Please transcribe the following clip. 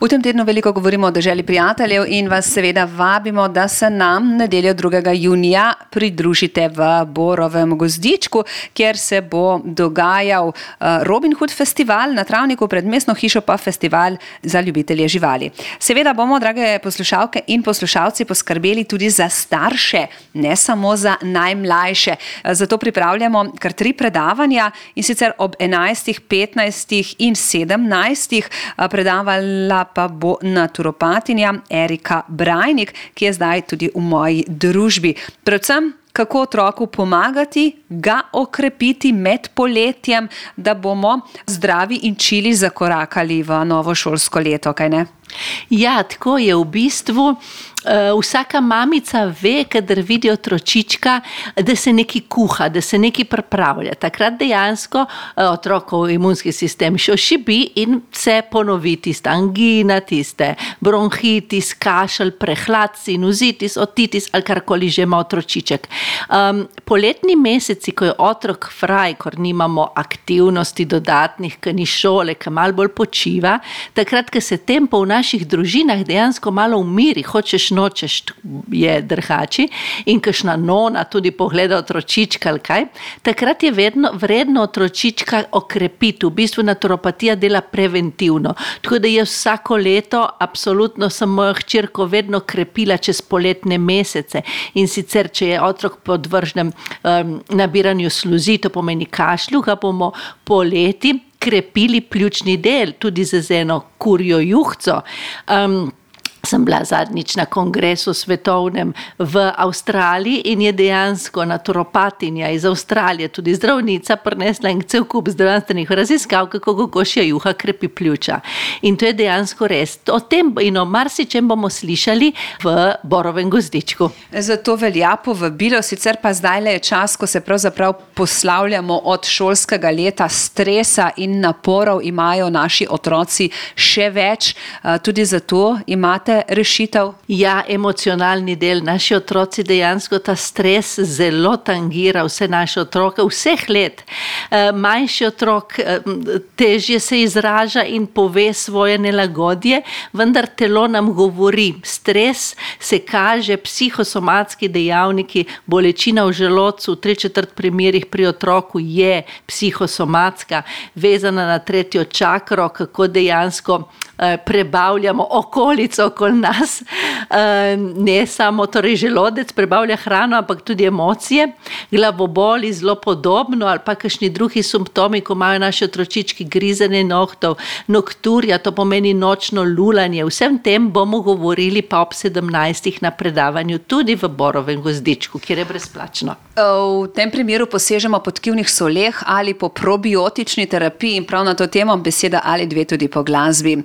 V tem tednu veliko govorimo o deželi prijateljev in vas seveda vabimo, da se nam nedeljo 2. junija pridružite v Borovem gozdičku, kjer se bo dogajal Robin Hood festival, na Travniku pred mestno hišo pa festival za ljubitelje živali. Seveda bomo, drage poslušalke in poslušalci, poskrbeli tudi za starše, ne samo za najmlajše. Zato pripravljamo kar 3 predavanja, in sicer ob 11., 15. in 17. Predavala pa bo naturopatinja Erika Brajnik, ki je zdaj tudi v moji družbi. Predvsem, kako otroku pomagati, ga okrepiti med poletjem, da bomo zdravi in čili zakorakali v novo šolsko leto, kaj ne? Ja, tako je v bistvu. Vsaka mamica ve, kadar vidi otročička, da se nekaj kuha, da se nekaj pripravlja. Takrat dejansko otrokov imunski sistem še ošibi in se ponovi tista angina, tiste bronhitis, kašelj, prehlad, sinusitis, otitis ali karkoli že ima otročiček. Poletni meseci, ko je otrok fraj, ko nimamo aktivnosti dodatnih, ko ni šole, ko malo bolj počiva, takrat, ko se tempo v naših družinah dejansko malo umiri, hočeš nočeš, je drhači, in kakšna nona tudi pogleda otročička ali kaj, takrat je vredno otročička okrepiti. V bistvu naturopatija dela preventivno. Tako da je vsako leto absolutno sem mojo hčerko vedno krepila čez poletne mesece. In sicer, če je otrok podvržen nabiranju sluzi, to pomeni kašlju, ga bomo poleti krepili pljučni del, tudi z eno kurjo juhco. Sem bila zadnjič na kongresu svetovnem v Avstraliji in je dejansko naturopatinja iz Avstralije, tudi zdravnica, prinesla en cel kup zdravstvenih raziskav, kako kokošja juha krepi pljuča. In to je dejansko res. O tem in o marsičem bomo slišali v Borovem gozdičku. Zato velja povabilo, sicer pa zdajle je čas, ko se pravzaprav poslavljamo od šolskega leta, stresa in naporov imajo naši otroci še več. Tudi zato imate rešitev? Ja, emocionalni del. Naši otroci dejansko ta stres zelo tangira vse naše otroke, vseh let. Manjši otrok težje se izraža in pove svoje nelagodje, vendar telo nam govori. Stres se kaže, psihosomatski dejavniki, bolečina v želodcu, v 3/4 primerih pri otroku je psihosomatska, vezana na 3. čakro, kako dejansko prebavljamo okolico okoli nas, ne samo torej želodec prebavlja hrano, ampak tudi emocije, glavoboli zelo podobno ali pa kakšni drugi simptomi, ko imajo naši otročički grizenje nohtov, nokturja, to pomeni nočno lulanje. Vsem tem bomo govorili pa ob 17. na predavanju tudi v Borovem gozdičku, kjer je brezplačno. V tem primeru posežemo po tkivnih soleh ali po probiotični terapiji in prav na to temo beseda ali 2 tudi po glasbi.